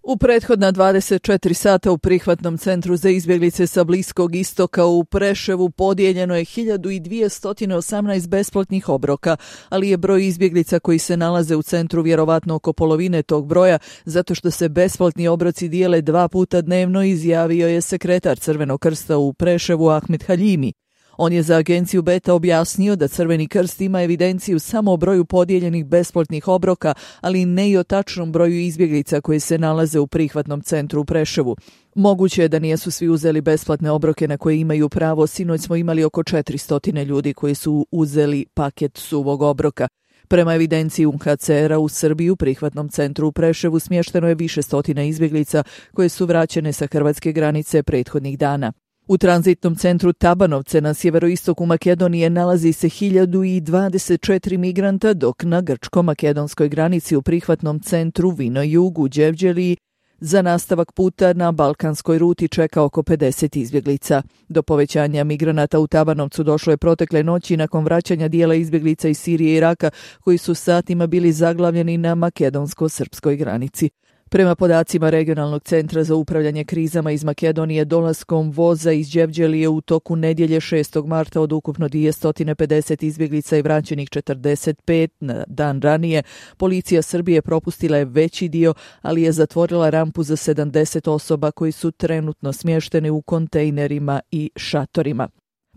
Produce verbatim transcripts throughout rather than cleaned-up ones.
U prethodna dvadeset četiri sata u prihvatnom centru za izbjeglice sa Bliskog istoka u Preševu podijeljeno je hiljadu dvjesto osamnaest besplatnih obroka, ali je broj izbjeglica koji se nalaze u centru vjerovatno oko polovine tog broja, zato što se besplatni obroci dijele dva puta dnevno, izjavio je sekretar Crvenog krsta u Preševu Ahmed Haljimi. On je za agenciju Beta objasnio da Crveni krst ima evidenciju samo o broju podijeljenih besplatnih obroka, ali ne i o tačnom broju izbjeglica koji se nalaze u prihvatnom centru u Preševu. Moguće je da nijesu svi uzeli besplatne obroke na koje imaju pravo. Sinoć smo imali oko četiristo ljudi koji su uzeli paket suvog obroka. Prema evidenciji U N H C R-a u Srbiji u prihvatnom centru u Preševu smješteno je više stotina izbjeglica koje su vraćene sa hrvatske granice prethodnih dana. U tranzitnom centru Tabanovce na sjeveroistoku Makedonije nalazi se hiljadu dvadeset četiri migranta, dok na grčko-makedonskoj granici u prihvatnom centru Vino Jug u Đevđeliji za nastavak puta na balkanskoj ruti čeka oko pedeset izbjeglica. Do povećanja migranata u Tabanovcu došlo je protekle noći nakon vraćanja dijela izbjeglica iz Sirije i Iraka koji su satima bili zaglavljeni na makedonsko-srpskoj granici. Prema podacima Regionalnog centra za upravljanje krizama iz Makedonije, dolaskom voza iz Đevđelije u toku nedjelje šestog marta od ukupno dvjesto pedeset izbjeglica i vraćenih četrdeset pet na dan ranije, policija Srbije propustila je veći dio, ali je zatvorila rampu za sedamdeset osoba koji su trenutno smješteni u kontejnerima i šatorima.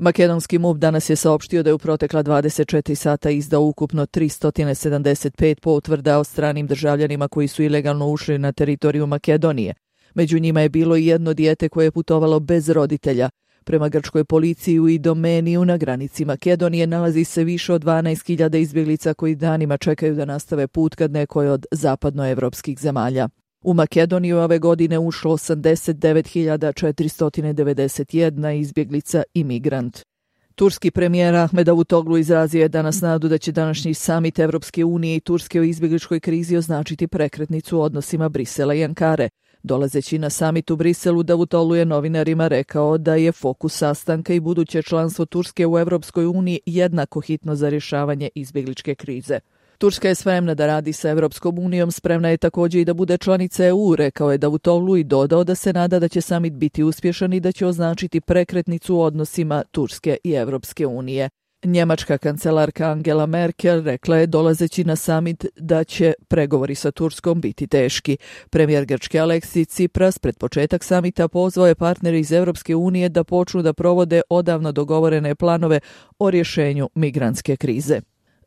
Makedonski M U P danas je saopštio da je u protekla dvadeset četiri sata izdao ukupno tristo sedamdeset pet potvrda o stranim državljanima koji su ilegalno ušli na teritoriju Makedonije. Među njima je bilo i jedno dijete koje je putovalo bez roditelja. Prema grčkoj policiji u Idomeniju na granici Makedonije nalazi se više od dvanaest hiljada izbjeglica koji danima čekaju da nastave put ka nekoj od zapadnoevropskih zemalja. U Makedoniju ove godine ušlo osamdeset devet hiljada četiristo devedeset jedna izbjeglica i migrant. Turski premijer Ahmed Davutoglu izrazio je danas nadu da će današnji samit Evropske unije i Turske o izbjegličkoj krizi označiti prekretnicu u odnosima Brisela i Ankare. Dolazeći na samit u Briselu, Davutoglu je novinarima rekao da je fokus sastanka i buduće članstvo Turske u Evropskoj uniji jednako hitno za rješavanje izbjegličke krize. Turska je spremna da radi sa Evropskom unijom, spremna je također i da bude članica E U, rekao je Davutoglu i dodao da se nada da će samit biti uspješan i da će označiti prekretnicu u odnosima Turske i Evropske unije. Njemačka kancelarka Angela Merkel rekla je dolazeći na samit da će pregovori sa Turskom biti teški. Premijer Grčke Aleksis Tsipras pred početak samita pozvao je partnere iz Evropske unije da počnu da provode odavno dogovorene planove o rješenju migrantske krize.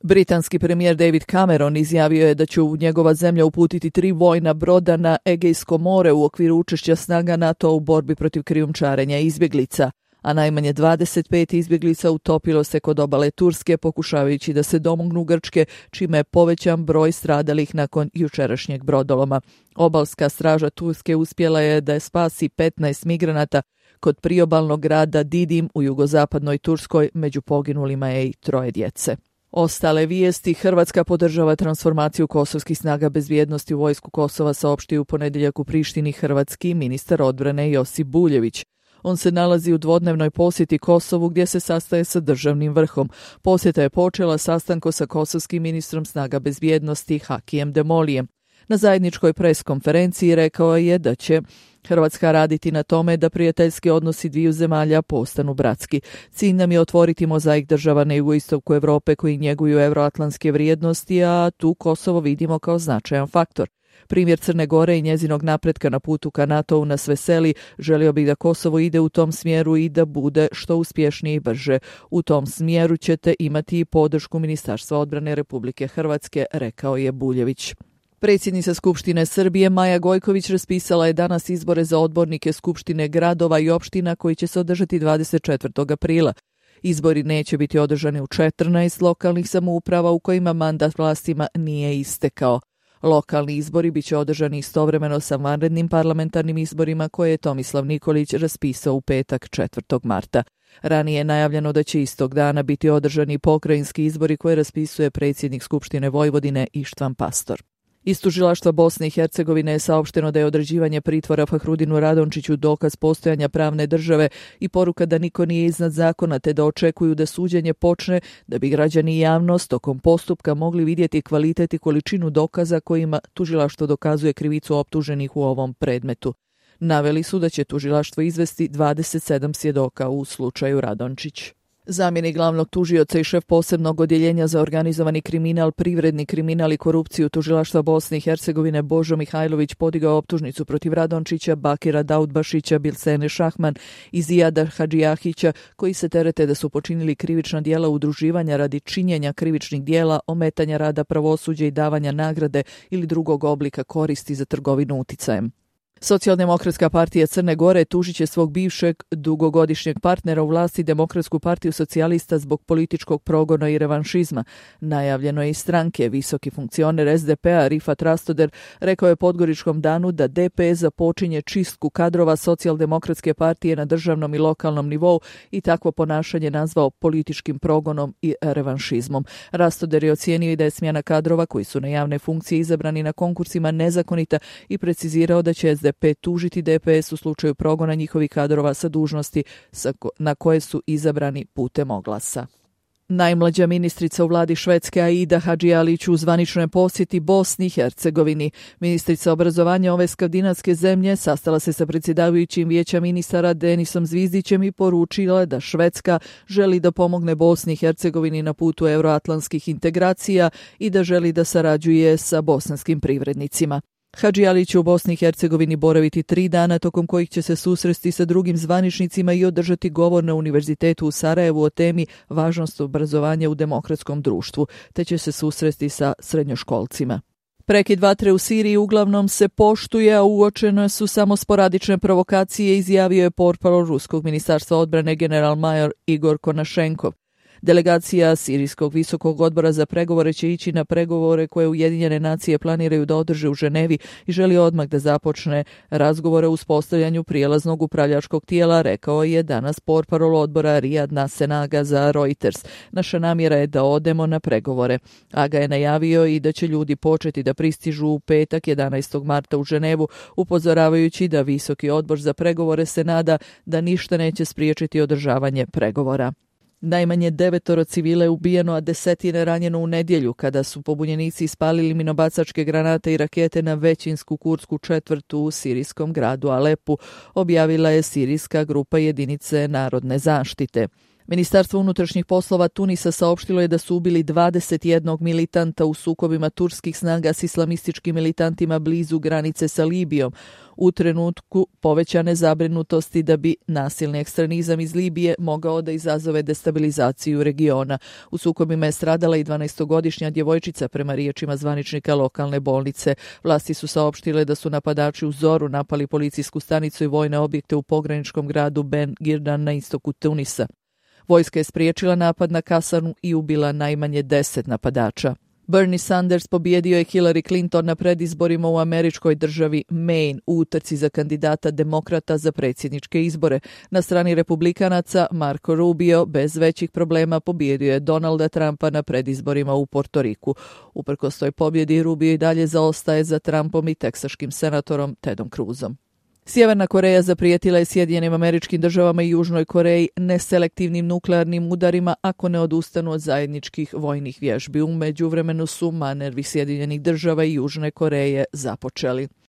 Britanski premijer David Cameron izjavio je da će njegova zemlja uputiti tri vojna broda na Egejsko more u okviru učešća snaga NATO u borbi protiv krijumčarenja izbjeglica, a najmanje dvadeset pet izbjeglica utopilo se kod obale Turske pokušavajući da se domognu Grčke, čime je povećan broj stradalih nakon jučerašnjeg brodoloma. Obalska straža Turske uspjela je da je spasi petnaest migranata kod priobalnog grada Didim u jugozapadnoj Turskoj, među poginulima je i troje djece. Ostale vijesti: Hrvatska podržava transformaciju kosovskih snaga bezbjednosti u vojsku Kosova, saopštio u ponedjeljak u Prištini hrvatski ministar odbrane Josip Buljević. On se nalazi u dvodnevnoj posjeti Kosovu gdje se sastaje sa državnim vrhom. Posjeta je počela sastankom sa kosovskim ministrom snaga bezbjednosti Hakijem Demolijem. Na zajedničkoj pres konferenciji rekao je da će Hrvatska raditi na tome da prijateljski odnosi dviju zemalja postanu bratski. Cilj nam je otvoriti mozaik država na jugoistoku Europe koji njeguju euroatlantske vrijednosti, a tu Kosovo vidimo kao značajan faktor. Primjer Crne Gore i njezinog napretka na putu ka NATO-u nas veseli. Želio bih da Kosovo ide u tom smjeru i da bude što uspješnije i brže. U tom smjeru ćete imati i podršku Ministarstva odbrane Republike Hrvatske, rekao je Buljević. Predsjednica Skupštine Srbije Maja Gojković raspisala je danas izbore za odbornike Skupštine gradova i opština koji će se održati dvadeset četvrtog aprila. Izbori neće biti održani u četrnaest lokalnih samouprava u kojima mandat vlastima nije istekao. Lokalni izbori bit će održani istovremeno sa vanrednim parlamentarnim izborima koje je Tomislav Nikolić raspisao u petak četvrtog marta. Ranije je najavljeno da će istog dana biti održani pokrajinski izbori koje raspisuje predsjednik Skupštine Vojvodine Ištvan Pastor. Iz tužilaštva Bosne i Hercegovine je saopšteno da je određivanje pritvora Fahrudinu Radončiću dokaz postojanja pravne države i poruka da niko nije iznad zakona, te da očekuju da suđenje počne da bi građani i javnost tokom postupka mogli vidjeti kvalitet i količinu dokaza kojima tužilaštvo dokazuje krivicu optuženih u ovom predmetu. Naveli su da će tužilaštvo izvesti dvadeset sedam svjedoka u slučaju Radončić. Zamjenik glavnog tužioca i šef posebnog odjeljenja za organizovani kriminal, privredni kriminal i korupciju tužilaštva Bosne i Hercegovine Božo Mihajlović podigao optužnicu protiv Radončića, Bakira Daudbašića, Bilsene Šahman i Zijada Hadžijahića, koji se terete da su počinili krivična djela udruživanja radi činjenja krivičnih djela, ometanja rada pravosuđa i davanja nagrade ili drugog oblika koristi za trgovinu uticajem. Socijaldemokratska partija Crne Gore tužit će svog bivšeg dugogodišnjeg partnera u vlasti Demokratsku partiju socijalista zbog političkog progona i revanšizma. Najavljeno je iz stranke. Visoki funkcioner es de pe a Rifat Rastoder rekao je Podgoričkom danu da de pe es započinje čistku kadrova Socijaldemokratske partije na državnom i lokalnom nivou i takvo ponašanje nazvao političkim progonom i revanšizmom. Rastoder je ocijenio i da je smjena kadrova koji su na javne funkcije izabrani na konkursima nezakonita i precizirao da će es de pe tužiti de pe es u slučaju progona njihovih kadrova sa dužnosti na koje su izabrani putem oglasa. Najmlađa ministrica u vladi Švedske Aida Hadžialić u zvaničnoj posjeti Bosni i Hercegovini. Ministrica obrazovanja ove skandinavske zemlje sastala se sa predsjedavajućim vijeća ministara Denisom Zvizdićem i poručila da Švedska želi da pomogne Bosni i Hercegovini na putu euroatlantskih integracija i da želi da sarađuje sa bosanskim privrednicima. Hadžialić će u Bosni i Hercegovini boraviti tri dana, tokom kojih će se susresti sa drugim zvaničnicima i održati govor na Univerzitetu u Sarajevu o temi važnost obrazovanja u demokratskom društvu, te će se susresti sa srednjoškolcima. Prekid vatre u Siriji uglavnom se poštuje, a uočene su samo sporadične provokacije, izjavio je portparol Ruskog ministarstva odbrane general-major Igor Konašenkov. Delegacija Sirijskog visokog odbora za pregovore će ići na pregovore koje Ujedinjene nacije planiraju da održe u Ženevi i želi odmah da započne razgovore o uspostavljanju prijelaznog upravljačkog tijela, rekao je danas portparol odbora Rijad Nasenaga za Reuters. Naša namjera je da odemo na pregovore. Aga je najavio i da će ljudi početi da pristižu u petak jedanaestog marta u Ženevu, upozoravajući da visoki odbor za pregovore se nada da ništa neće spriječiti održavanje pregovora. Najmanje devetoro civila je ubijeno, a desetine ranjeno u nedjelju kada su pobunjenici ispalili minobacačke granate i rakete na većinsku kurdsku četvrtu u sirijskom gradu Alepu, objavila je sirijska grupa jedinice narodne zaštite. Ministarstvo unutrašnjih poslova Tunisa saopštilo je da su ubili dvadeset jednog militanta u sukobima turskih snaga s islamističkim militantima blizu granice sa Libijom, u trenutku povećane zabrinutosti da bi nasilni ekstremizam iz Libije mogao da izazove destabilizaciju regiona. U sukobima je stradala i dvanaestogodišnja djevojčica, prema riječima zvaničnika lokalne bolnice. Vlasti su saopštile da su napadači u zoru napali policijsku stanicu i vojne objekte u pograničkom gradu Ben Girdan na istoku Tunisa. Vojska je spriječila napad na kasarnu i ubila najmanje deset napadača. Bernie Sanders pobijedio je Hillary Clinton na predizborima u američkoj državi Maine u utrci za kandidata demokrata za predsjedničke izbore. Na strani republikanaca Marco Rubio bez većih problema pobijedio je Donalda Trumpa na predizborima u Portoriku. Uprkos toj pobjedi Rubio i dalje zaostaje za Trumpom i teksaškim senatorom Tedom Cruzom. Sjeverna Koreja zaprijetila je Sjedinjenim Američkim Državama i Južnoj Koreji neselektivnim nuklearnim udarima ako ne odustanu od zajedničkih vojnih vježbi. U međuvremenu su manevi Sjedinjenih Država i Južne Koreje započeli.